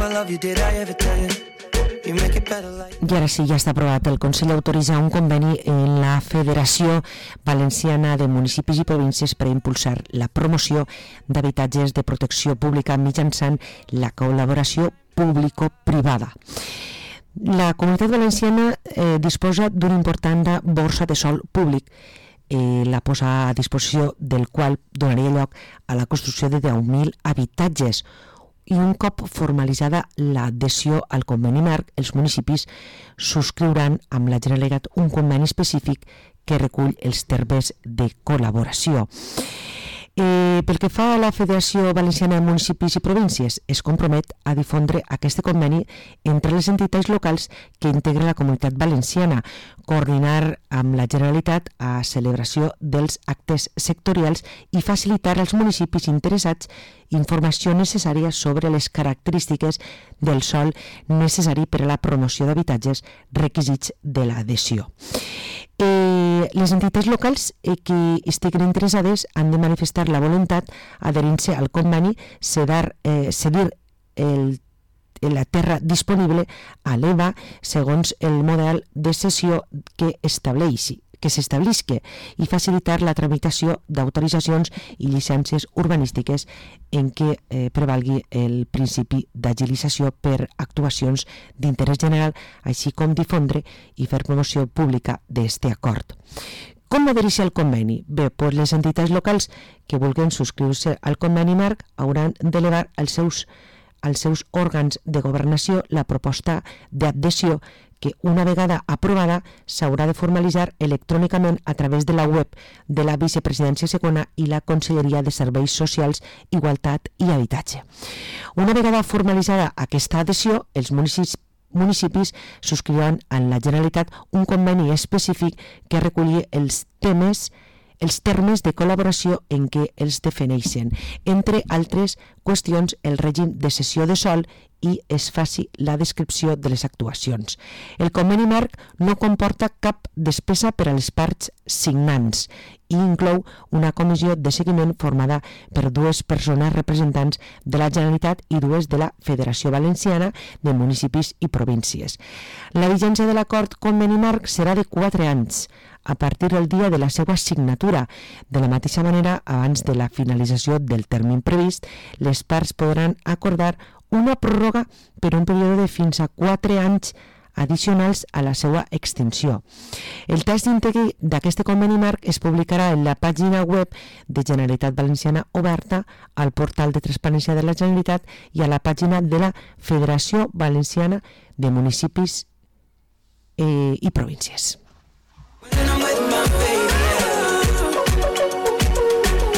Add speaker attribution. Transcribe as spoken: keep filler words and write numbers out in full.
Speaker 1: I ara sí, ja està aprovat. El Consell autoritza un conveni en la Federació Valenciana de Municipis i Províncies per impulsar la promoció d'habitatges de protecció pública mitjançant la col·laboració público-privada. La Comunitat Valenciana eh, disposa d'una important borsa de sòl públic, eh, la posa a disposició del qual donaria lloc a la construcció de deu mil habitatges. I un cop formalitzada l'adhesió al conveni marc, els municipis subscriuran amb la Generalitat un conveni específic que recull els termes de col·laboració. Eh, pel que fa a la Federació Valenciana de Municipis i Províncies, es compromet a difondre aquest conveni entre les entitats locals que integren la Comunitat Valenciana, coordinar amb la Generalitat a celebració dels actes sectorials i facilitar als municipis interessats informació necessària sobre les característiques del sòl necessari per a la promoció d'habitatges, requisits de l'adhesió. Eh, les entitats locals eh, que estiguin interessades han de manifestar la voluntat adherint-se al conveni, cedar, eh, cedir el, la terra disponible a l'E V A segons el model de cessió que estableixi que s'establisca i facilitar la tramitació d'autoritzacions i llicències urbanístiques en què eh, prevalgui el principi d'agilització per actuacions d'interès general, així com difondre i fer promoció pública d'aquest acord. Com adherir-se al conveni? Bé, doncs les entitats locals que vulguin subscriure-se al conveni marc hauran d'elevar als seus, als seus òrgans de governació la proposta d'adhesió que una vegada aprovada s'haurà de formalitzar electrònicament a través de la web de la Vicepresidència Segona i la Conselleria de Serveis Socials, Igualtat i Habitatge. Una vegada formalitzada aquesta adhesió, els municipis municipis subscriuran en la Generalitat un conveni específic que reculli els temes els termes de col·laboració en què els defineixen, entre altres qüestions el règim de cessió de sòl i es faci la descripció de les actuacions. El conveni marc no comporta cap despesa per a les parts signants i inclou una comissió de seguiment formada per dues persones representants de la Generalitat i dues de la Federació Valenciana de Municipis i Províncies. La vigència de l'acord conveni marc serà de quatre anys, a partir del dia de la seva signatura. De la mateixa manera, abans de la finalització del termini previst, les parts podran acordar una pròrroga per un període de fins a quatre anys addicionals a la seva extinció. El text íntegre d'aquest conveni marc es publicarà en la pàgina web de Generalitat Valenciana oberta, al portal de transparència de la Generalitat i a la pàgina de la Federació Valenciana de Municipis eh, i Províncies.